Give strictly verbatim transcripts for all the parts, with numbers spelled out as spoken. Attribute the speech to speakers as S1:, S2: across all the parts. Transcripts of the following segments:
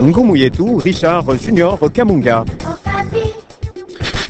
S1: Ngumu yetu Richard Junior Kamunga.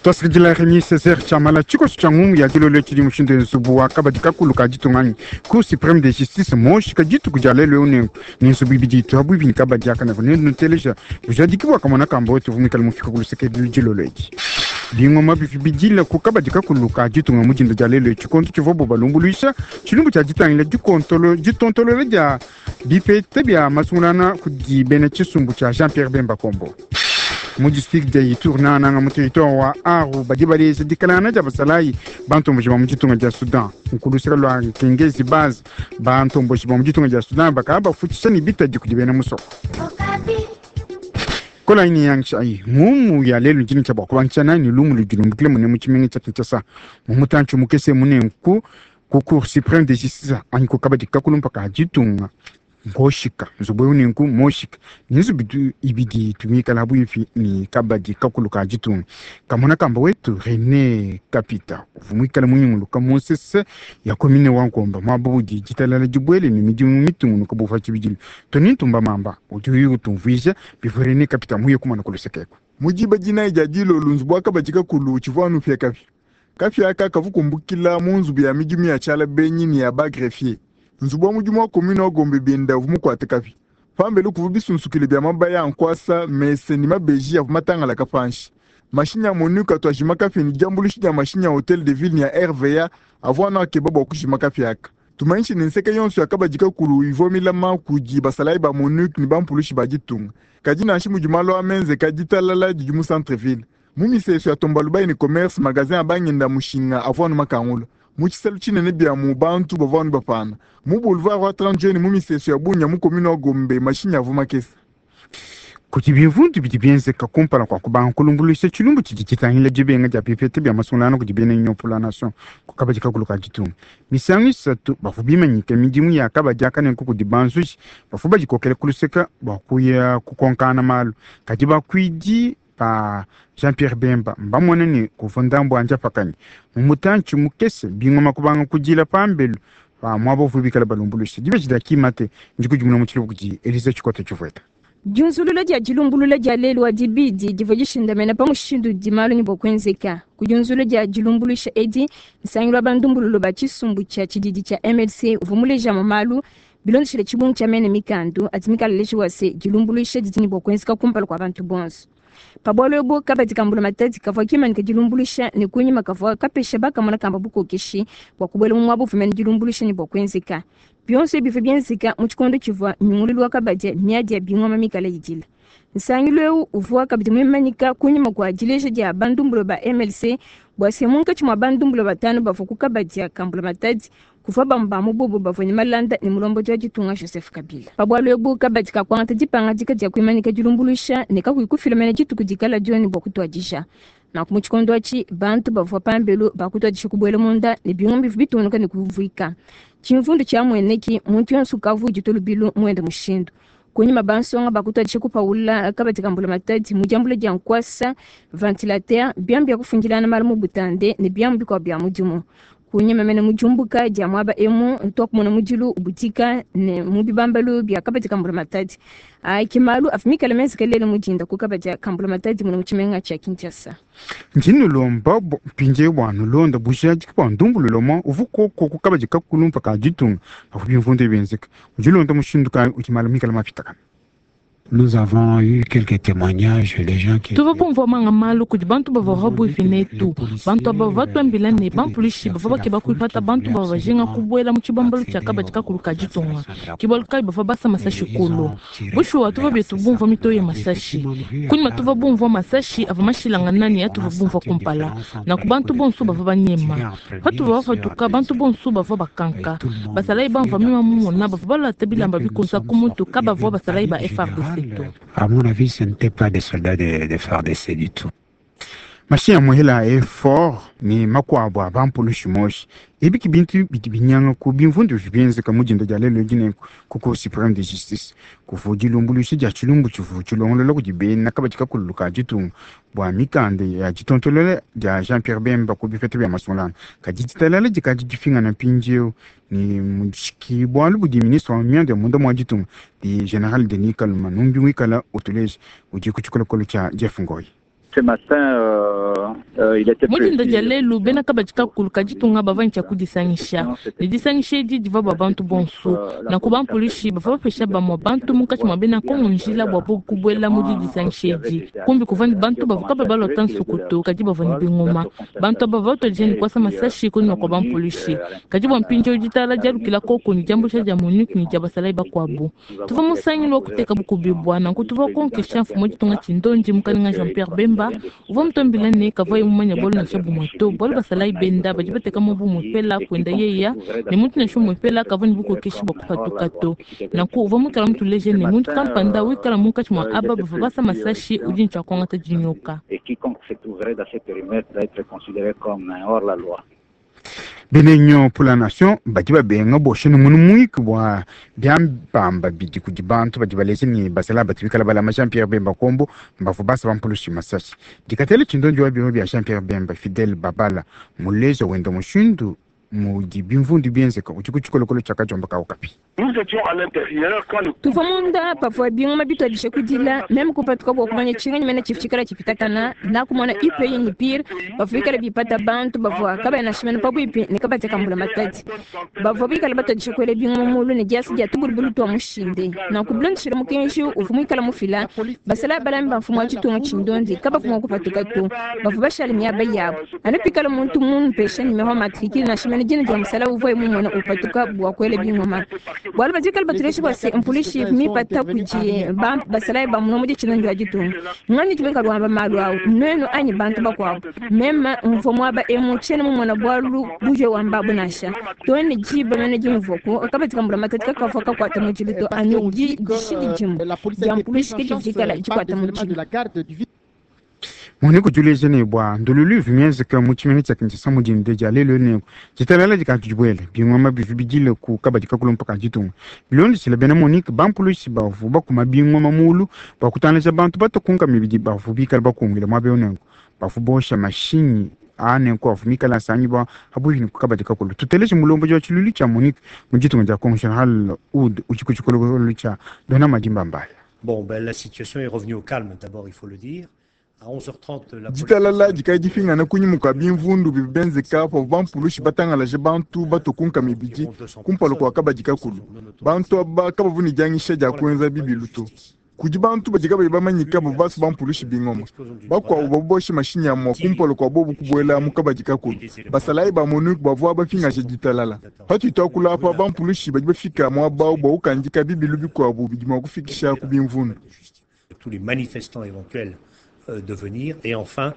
S2: Twasakidila Remi Césaire Tshiamala. Tshikoso tshia ngumu ya dilolo tshidi mushindu nzubu wa kabadi kakulu ka ditunga anyi Cour suprême de justice moshika dituku dia lelu eu nenku ne nzubu ibidi itu habuipi ne kabadi aka nako nenuteleja bujadiki bua kamona kamba wetu uvua muikale mufika ku luseke dilolo edi. Bingoma bivi bidila ku kabadi kakulu ka ditunga mu dinda dia lelu tshikondo tshivuabu balumbuluisha tshilumbu tshia ditangila dikontolo ditontolola dia bipeta bia masungulana kudi bena tshisumbu tshia Jean Pierre Bemba Kombo. Mu district dia Ituri nangananga mu territoire wa Aru badi baleja dikalangana dia basalayi bantomboji ba mu ditunga dia Sudan nkuluseka lua Kengezi base bantomboji ba mu ditunga dia Sudan bakaba bafutshisha ne bitadi kudi bena musoko. Kola ini yangisha ayi ngumu ya lelu ntshini tshia bua kubangisha nani lumu ludi lumbukile mune mu tshimenga tshia Kinshasa mu mutantshi mukese munenku ku Cour suprême de justice anyi ku kabadi kakulu mpaka ditunga ngoshika nzubu eu nenku moshika ni nzubu ibidi tumikala buipi ni kabadi kakulu ka ditunga. Kamona kamba wetu René Kapita uvua muikale munyunguluka mu nsese ya commune wa Nkomba muaba udi ditalala dibuele ne midimu mitungunuka buva tshibidilu. Tony Ntumba Mamba udi utumvuija bivua René Kapita muye kumana ku luseke eku.
S3: Mudiba dinayi dia dilolo nzubu wa kabadi kakulu tshivua anu upia kapia. Kapia aka kavua kumbukila mu nzubu ya midimu ya tshiala benyi ne ya ba greffier. Nzubu wa mudimu wa commune wa Gombe bienda uvua mukuate kapia. Pambelu kuvua bisunsukile bia mabaya a nkuasa, mese ne mabeji avua matangalaka panshi. Mashinyi a MONUC atu ajima kapia ne diambuluisha dia mashinyi a Hotel de Ville ne ya R V A avua anu akeba bua kujima kapia aka. Tumanyishe ne nseke yonso ya kabadi kakulu ivua milama kudi basalayi ba MONUC ne bampulushi ba ditunga. Kadi nansha mudi malu amenzeka, ditalala didi mu centre ville. Mu misesu ya Tombalbaye ne Commerce, magasin a bangenda mushinga avua anu makangula. Mu tshisalu tshinene bia mu bantu bavua anu bapana. Mu boulevard wa trente juin mu misesu ya Bunia mu commune wa Gombe, mashinyi avua makese.
S2: Kudi bimvundu bidi bienzeka kumpala kua kubanga kulumbuluisha tshilumbu tshidi tshitangila dibenga dia bipeta bia masungulana kudi bena Union pour la Nation ku kabadi kakulu ka ditunga. Misangu isatu bavua bimanyike midimu ya kabadi aka nenku kudi banzuji bavua badikokela ku luseka bua kuya kukonkana malu. Kadi bakuidi ba Jean-Pierre Bemba mbamone ne kuvua ndambu anja pakanyi mu mutantshi mukese bingoma kubanga kudila pambelu pa muaba uvua bikale balumbuluisha. Dibeji dia kimate ndikudimuna mu tshiluba kudi Elisa Tshikota Tshivueta.
S4: Diunzulula dia dilumbulula dia lelu wa dibidi divua dishindamena pa mushindu udi malu ne bua kuenzeka. Ku diunzulula dia dilumbuluisha edi, nsangilu wa bandumbululo ba tshisumbu tshia tshididi tshia M L C uvua mulejamu malu bilondeshile tshibungu tshia mene mikandu adi mikale lejiwa se dilumbuluisha didi ne bua kuenzeka kumpala kua bantu bonso. Pa bualu ebu, kabadi ka mbulamatadi kavua kimanyika dilumbuluisha ne kunyima kavua kapesha bakamona kamba bukokeshi bua kubuela mu muaba uvua mene dilumbuluisha ne bua kuenzeka. Bionso ebi bivua bienzeka mu tshikondo tshivua nyungululu wa kabadi miadi ya bingoma mikale idila. Nsangilu eu uvua kabidi muimanyika kunyima kua dileja dia bandumbulo ba M L C bua se munkatshi mua bandumbulo batanu bavua ku kabadi ka mbulamatadi kuvua bamue ba mu bobo bavua ne malanda ne mulombodi wa ditunga Joseph Kabila. Pa bualu ebu, kabadi kakuangata dipangadika dia kuimanyika dilumbuluisha ne kakuyi kufila mene dituku dikala dioni bua kutuadija. Nanku mu tshikondo atshi, bantu bavua pambelu bakutuadisha kubuela munda ne bingoma bivua bitungunuka ne kuvuika. Tshimvundu tshiamueneki, muntu yonso ukavua uditua lubilu muende mushindu. Kunyima bansonga bakutuadisha kupaula kabadi ka mbulamatadi mu diambula dia nkuasa, ventilateur, biamu bia kufundilana malu mu butande ne biamu bikuabu bia mudimu. Kunyima mene mu diumbuka dia muaba emu tuakumona mudilu ubutika ne mu bibambalu bia kabadi ka mbulamatadi. Ke malu avua mikale menzeke lelu mu dinda ku kabadi ka mbulamatadi muna mu tshimenga tshia Kinshasa.
S2: Ndi nulomba mpindieu bua nulonda bujadiki bua ndumbululo mwa uvua koko ku kabadi kakulu mpaka ditunga pavua bimvundu bienzeka. Udi ulonda mushindu kayi udi malu mikale mapitakana.
S5: Nous avons eu quelques témoignages des gens qui
S6: Tuvua bumvua manga malu kudi bantu bavua pabuipi netu. Bantu aba bavua batuambila ne bampulishi bavua bakeba kuipata bantu bavua bajinga kubuela mu tshibambalu tshia kabadi kakulu ka ditunga. Ke bualu kayi bavua basa masashi kulu. Bushuwa tuvua betu bumvua mitoyi ya masashi. Kunyima tuvua bumvua masashi avua mashilangana ne atuvua bumvua kumpala. Nanku bantu bonso bavua banyema. Patuvua bapatuka, bantu bonso bavua bakanka. Basalayi bamvua mema mumona bavua balata bilamba bikunza ku mutu, kabavua basalayi ba F A R D C to.
S5: À mon avis, ce n'étaient pas des soldats de, de F A R D C du tout.
S2: Mashin ya muhela e fort ni makuabu a bampulushi moshi ebiki bintu bidi binyanga ku bimvundu bienzeka mu dinda dia lelo dine ku Cour suprême de justice kuvu dilumbuluisha dia tshilumbu tshivu tshilongolola kudi bena kabadi kakulu ka ditunga bua mikanda ya ditontolola dia Jean Pierre Bemba ku bipeta bia masungulano kadi ditalala dikadi difingana mpindieu ni mushiki bualu budi ministre wa mianda ya munda mua ditunga di général Denis Kaluma numbi wikala utuleja udi ku tshikolokolo tshia Jeff Ngoyi.
S7: Ce matin, euh, euh, il était
S6: Mu dinda dia
S7: prévu.
S6: lelu bena kabadi kakulu kaditunga bava ntshia kudisangisha ne disangisha edi divua bua bantu bonso nanku bampolishi bavua bapesha bamue bantu munkatshi mua bena kongo njila bua bo kubuela mu didisangisha edi kumbi kuvua ne bantu bavua kaba balota nsukutu kadi bavua ne bingoma bantu aba bavua batuadija ne kuasa masashi kunyima kua bampolishi kadi bua mpindieu ditala dialukila koku ne diambuluisha dia MONUC ne dia basalayi bakuabu tuvua musangilu wa kuteka bukubibua nanku tuvua konkesha mfumu wa ditunga tshindondi mukalenga Jean Pierre Bemba uvua mutuambila ne kavua mumanya bualu nansha bumue to bualu basalayi benda badi bateka mu bumue pela kuenda yeya ne muntu nansha umue pela kavua ne bukokeshi bua kupatuka to nanku uvua muikala mutuleje ne muntu kampanda wikala munkatshi mua aba bavua basa masashi udi ne tshia kuangata dinyoka.
S7: Et quiconque se trouverait dans ce périmètre doit être considéré comme un hors-la-loi.
S2: Bena pour la nation badi babenga boshe ne munu muiki bua biambamba bidi kudi bantu badi baleze ne basala bati bikala balama Jean Pierre Bemba Kombo mbavu basa bampulushi masashi dikatele tshindondi wa biro bia Jean Pierre Bemba Fidel Babala muleja wenda mushindu mudi bimvundu bienzeka udi ku tshikolokolo tshia kajomba ka Okapi.
S8: Nous étions à l'intérieur quand le
S4: tuvua munda pavua bingoma bituadija kudila meme kupatuka bua kumanya tshinganyi mene tshifu tshikala tshipitakana nakumona ipeyi ni pire bavua bikala bipata bantu bavua kabaya nashimene pabuipi ne kabateka mbula matadi bavua bikala batuadija kuela bingoma mulu ne diasa dia tubulubulu tua mushinde nanku bilondeshile mukenji uvua muikala mufila basala balami ba mfumu wa tshitunga tshindondi kabavua mua kupatuka to bavua bashale miaba yabu anu pikala muntu mumpesha nimero ya matricule nashimene dina dia musala uvuaye mumona upatuka bua kuela bingoma bualu badikala batuleshe bua se mpolishi mipata kudi ba- basalayi ba muno mudi tshinongi wa ditunga ngani tubeka luamba malu awu nuenu anyi bantu bakuabu meme mvua muaba emu tshiena mumona bualu buje wamba abu nansha to ne diba mene dimvuaku kabatika mbula matati kakavua kakuata mudilu to anu di dishidi dimue dia mpolishi ke didikala dikuata mudilu.
S2: Mone kutuleja ne bua ndululu ivi mienzeka mu tshimenga tshia Kinshasa mu dinda dia lelo ne ditalala dikatu dibuela bingoma bivi bidile ku kabadi kakulu mpaka ditunga bilondeshile bena MONUC bampulushi bavu bakuma bingoma mulu bua kutangalaja bantu batakunka mibidi bavu bikala bakungila muaba eu nenku bavu bosha mashinyi a nenku avu mikala asangibua habuihi ne ku kabadi kakulu tuteleje mulombodi wa tshilulu tshia MONUC mu ditunga dia Congo Général Oud udi ku tshikolokolo tshia Dona Madimba Mbaya.
S9: Bon, ben, la situation est revenue au calme, d'abord, il faut le dire. À onze heures trente, la
S3: Ditalala dikadi difingana kunyima kua bimvundu bivi bienzeka pavua bampulushi batangalaje bantu batokunka mibidi kumpala kua kabadi kakulu bantu aba kabavu ne dianyisha dia kuenza bibilu to kudi bantu badi kabayi bamanyika bavua basa bampulushi bingoma bakuabu bavua boshe mashinyi amua kumpala kua bobu kubuela mu kabadi kakulu basalayi ba MONUC bavua bafingaje ditalala patudi tuakula apa bampulushi badi bafika muaba awu bua kukandika bibilu bikuabu bidi mua kufikisha ku bimvundu.
S9: Tous les manifestants éventuels euh, de venir. Et enfin,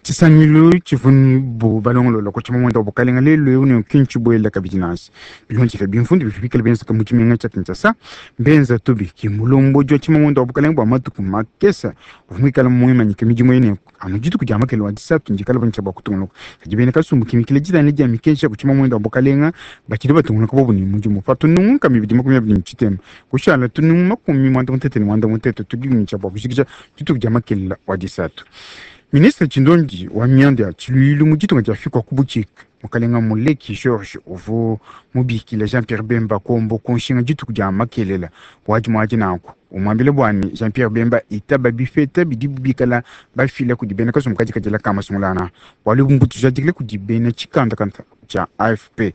S2: tshisangilu tshivua bu balongolola ku tshimamunda wa bukalenga lelu eu ne kinshi buela kabidi nansi bilondeshile bimvundu bivi bikala bienzeka mu tshimenga tshia Kinshasa mbenza tubi ki mulombodi wa tshimamunda wa bukalenga bua matuku makesa uvua muikala muimanyike midimu ene anu dituku dia makele wa disatu ndikala bantshia bua kutungunuka kadi bena kasumbu kimikile ditana dia mikenji ya ku tshimamunda wa bukalenga batshidi batungunuka bobu ne mudimu pa tunungu mibidi makumi abidi ne tshitema kushala tunungu makumi muanda mutete ne muanda mutete tudi ntshia bua kujikija dituku dia makelela wa disatu. Ministre Tshindondi wa mianda ya tshiluilu mu ditunga dia Afrika ku butshika mukalenga Muleki George uvua mubikile Jean Pierre Bemba Kombo ku nshinga dituku dia makelela wadi muadi nanku umuambile bua ne Jean Pierre Bemba itaba bifeta bidi bikala bafila kudi bena kasumbu kadi kadila ka masungulana bualu mbutujadikile kudi bena tshikandakanda tshia A F P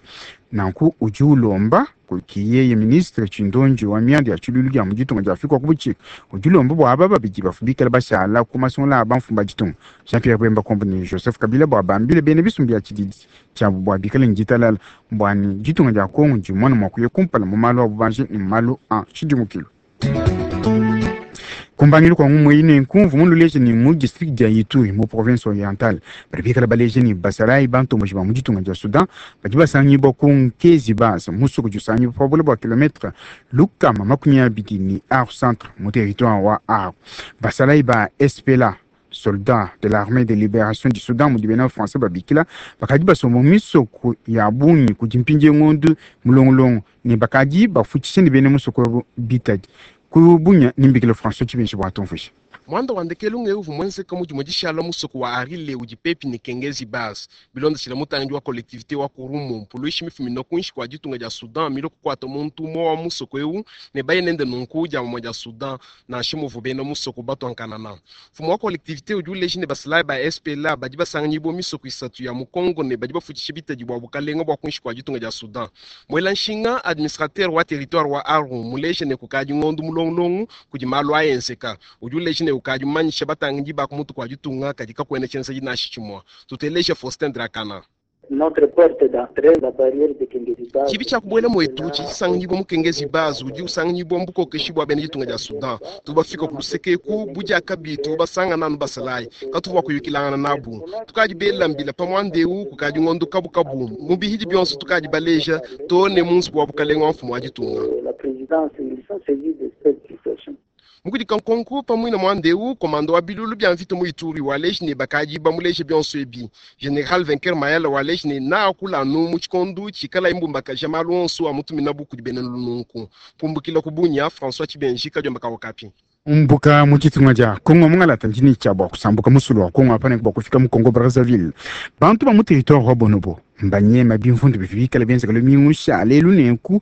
S2: nanku udi ulomba kiyeye ministre Tshindondi wa mianda ya tshiluilu dia mu ditunga dia Afrika ku butshika udi ulomba bua aba babidi bafu bikala bashala ku masungula a bamfumu ba ditunga Jean Pierre Bemba Kombo ne Joseph Kabila bua bambile bena bisumbu bia tshididi tshiabu bua bikale ne ditalala bua ne ditunga dia Congo dimone mua kuya kumpala mu malu a bubanji ne mu malu a tshidimukilu. Kumbangilu kwa ngumu ine nkumvu mundu leje ni mu district dia Ituri mu province orientale badi bikala baleje ni basalayi bantomboji ba mu ditunga dia Sudan badi basangibua ku Nkezi base musuku jusangibua pa bule bua kilometre lukama makumi abidi ni Aru centre mu territoire wa Aru basalayi ba S P L A Soldat de l'armée de libération du Soudan mudi bena français babikila bakadi basomba mu misoko ya bungi kudi mpindie ngondu mulongolongo ne bakadi bafutshishe ne bena musoko ebo bitadi ku bunya nimbikila François Tshibenji bua tumvuisha.
S10: Mwanda wa ndekelu ng'eu mwenzeka mudimue dishala musoko wa Arile udi pepi ne Kengezi Base. Bilondeshile mutangidi wa collectivité wa Kurumu, mpuluishi mifumina kuinshi kua ditunga dia Soudan milo kukuata muntu umue wa musoko eu ne baye nende nunku dia mamue dia Soudan nansha muvu bena musoko batuankanana. Mfumu wa collectivité udi uleja ne basalayi ba S P L A badi basanganyibua misoko isatu ya mu Congo ne badi bafutshisha bitadi bua bukalenga bua kuinshi kua ditunga dia Soudan. Mwela nshinga administrateur wa territoire wa Aru muleje ne kukadi ngondu mulongolongo kudi malu ayenzeka. Udi uleja ne ukadi mumanyisha batangidi ba ku mutu kua ditunga kadi kakuena tshienza dinashi tshimue. Tuteleje Faustin Drakana.
S11: Notre porte d'entrée, la barrière de Kengezi Base.
S10: Tshibi tshia kubuela muetu tshidi tshisanganyibua mu Kengezi Base udi usanganyibua mu bukokeshi bua bena ditunga dia Soudan. Tubafika ku luseke eku budiakabi tubasangana anu basalayi katuvua kuyukilangana nabu. Tukadi bela mbila pa muanda eu kukadi ngondo kabukabu mu bihidi bionso tukadi baleja to ne mu nzubu wa bukalenga wa mfumu wa ditunga.
S11: La présidence, ils sont saisis de cette situation.
S10: Mukudika nkonko pamwe na mwanda eu komando wa bilulu bya mvita mu Ituri wa leji ne bakadi bamuleje bionso ebi. General Vainqueur Mayala wa leji ne na akula anu mu tshikondu tshikala imbumbakaja malu onso a mutumina buku di bena lununku. Kumbukila ku Bunia, François Tshibenji, Kadiomba ka Okapi.
S2: Umbuka mu tshitunga dia Congo mungalata ndini tshia bua kusambuka musulu wa Congo apane bua kufika mu Congo Brazzaville. Bantu ba mu territoire wa Bonobo mbanyema bimvundu bivikala bienzeka lumingu sha lelu nenku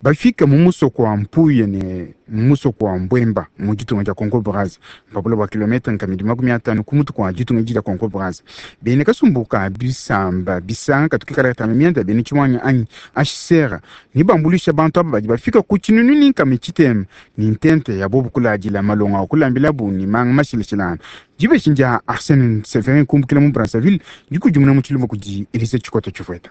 S2: bafika mu musoko wa Mpuye ne musoko wa Mbwemba mu ditunga dia Congo Brazza mpapula bua kilometre nkamidi makumi atanu ku mutu kua ditunga dia Congo Brazza. Bene kasumbuka bisamba bisanga katukikala katanu mianda bene tshimwanya anyi H C R ni bambulisha bantu aba badi bafika ku tshinunu ni nkami tshitema ni ntente ya bobu kuladila malonga wa kulambila bu ni manga mashilashilana. Dibeshi ndia Arsène Severin kumbukila mu Brazzaville dikudimuna mu tshilumbu kudi Elise Tshikoto Tshifueta.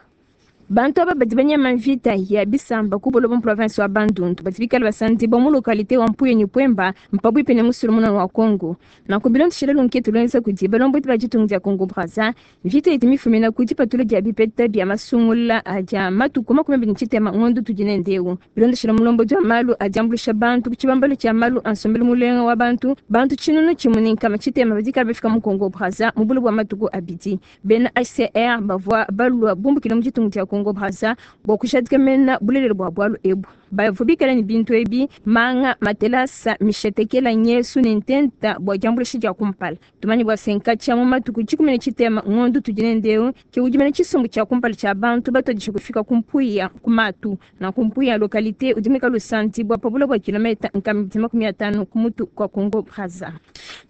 S4: Bantu aba badi banyama mvita ya bisamba ku buloba mu province wa Bandundu badi bikala basandi ba mu localité wa Mpuye ni Pwemba mpabwipe ne musulu munene wa Congo. Na ku bilondeshela lunketu lwenza kudi balombodi ba ditunga dia Congo Brazza mvita idi mifumina ku dipatula dia bipeta bia masungula dia matuku makumi abidi ne tshitema ngondo tudi ne ndeu. Bilondeshela mulombodi wa malu adiambulisha bantu ku tshibambalu tshia malu a nsombelu mulenga wa bantu bantu tshinunu tshimue ne nkama tshitema badi kala bafika mu Congo Brazza mu buloba bua matuku abidi. Bena H C R bavua balua bumbukila mu ditunga dia Congo Brazza bua kushadika mena bulelelo bua bualu ebu. Bavua bikala ne bintu ebi manga matelasa mishetekela nyesu ne ntenta bua diambulisha dia kumpala. Tumanye bua senka tshia mu matuku tshikumi ne tshitema ngondo tudi ne ndeu ke udi mena tshisumbu tshia kumpala tshia bantu batuadije kufika ku Mpuya ku matu na ku Mpuya localité udi mwikala lusanti bua pabula bua kilometa nkama makumi atanu ku mutu kwa Congo Brazza.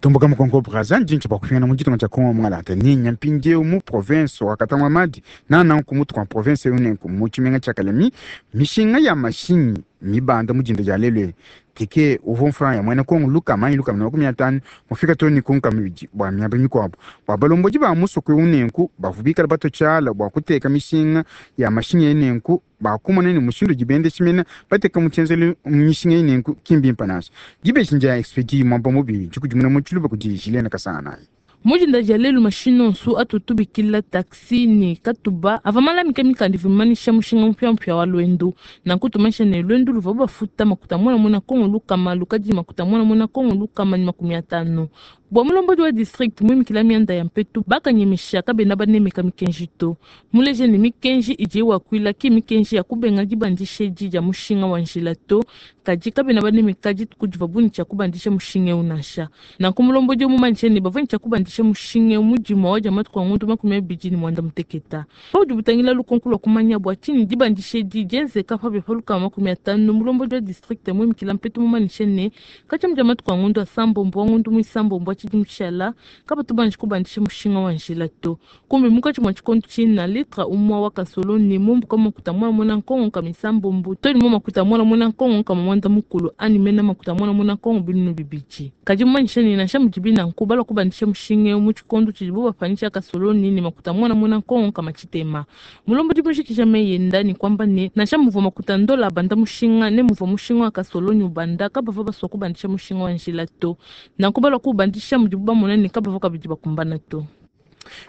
S2: Tumbuka mu Congo Brazza ndinchi bua kufika mu ditunga tshia Congo mungalata ni nyampindieu mu province wa Katanga Madi na nanku mutu kwa province yonenku mu tshimenga tshia Kalemi mishinga ya mashinyi mibanda mujinda dia lelu tike uvua mfranga ya mwene Kongo luka manyi luka na makumi atanu mufika toni kunka mibidi bua miaba mikuabu bua balombodi ba musoko unenku bavubikala bato tshiala bua kuteka mishinga ya mashinyi enenku bakumona ne mushindu dibende tshimena bateka mutshenzelu mishinga enenku kimbimpa naso dibeshi ndia expedi mwamba mubi dikudimuna mu tshiluba kudi Julien Kasana.
S6: Mujinda dia lelu mashina onso atutubikila taxi ne katuba ava malamika mikanda ivumanisha mushinga mpyampya wa lwendo nanku tumanisha ne lwendo luvua bafuta makuta mwana mwana Kongo lukama lukadi makuta mwana mwana Kongo lukama ni makumi atanu. Bua mulombodi wa district muimikila mianda ya mpetu bakanyemesha kabena banemeka mikenji to muleje ne mikenji idi wakuila ki mikenji ya kubenga dibandisha edi dia mushinga wa njila to kadi kabena banemeka dituku divua buni tshia kubandisha mushinga eu nansha nanku mulombodi mumanyisha ne bavua tshia kubandisha mushinga mudima wa dia matuku a ngondo makumi abidi ne mwanda muteketa paudi butangila lukonko lua kumanya bua tshinyi dibandisha edi dienzeka pabe pa lukama makumi atanu mulombodi wa district muimikila mpetu mumanyisha ne katshia dia matuku a ngondo asambombo wa ngondo muisambombo wa tshidi mtshala kabatu banji kubandisha mushinga wa njila to kumbe mukatshi mwa tshikondo tshina litra umwa wa kasolo ne mumbuka makuta mwana mwana nkongo ka misambombo to ni makuta mwana mwana nkongo ka mwanda mukulu ani mena makuta mwana mwana nkongo binunu bibiji kadi mumanyisha ne nansha mudibi nanku balua kubandisha mushinga mu tshikondo tshidibo bapanyisha kasolo ne makuta mwana mwana nkongo ka matshitema mulombodi mushikisha meyenda ni kwamba ne nansha muvua makuta ndola banda mushinga ne muvua mushinga wa kasolo ni ubanda kabavua basua kubandisha mushinga wa njila to nanku balua kubandisha mudibu bamona ne kabavua kabidi bakumbana to.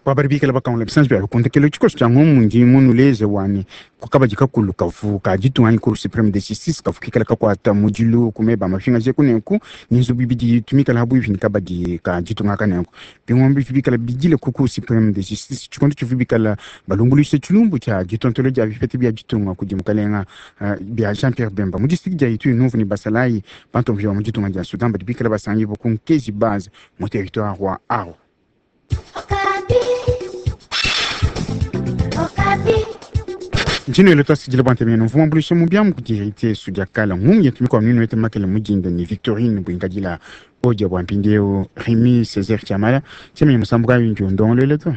S2: Babari bikala bakangula bisanji bya bikundekelo tshikoso tshia ngumu ndi munuleze wani kukabadi kakulu kavu ka ditunga anyi cour supreme de justice kavu kikala kakuata mudilu kumeba mafinga je kunenku ni nzubu ibidi tumikala habuivi ni kabadi ka ditunga kanenku bingombe bivi bikala bidile ku cour supreme de justice tshikondo tshivu bikala balumbuluishe tshilumbu tshia ditontolo dia bipete bia ditunga kudi mukalenga uh, bia Jean Pierre Bemba mu district dia Ituri Numvu ni basalayi bantombi ba mu ditunga dia Sudan badi bikala basangi ku Nkezi base mu territoire wa Aru. Ntshino ele twasidile bwante mene mvuma mbulisha mu byamu kudirite sudia kala ngumu yetu mikwa minu ete makele mujinda ni Victorine Bwinkadila odia bwa mpindieu Remy Césaire Chamala tshemenya musambu kayo njo ndongolele to.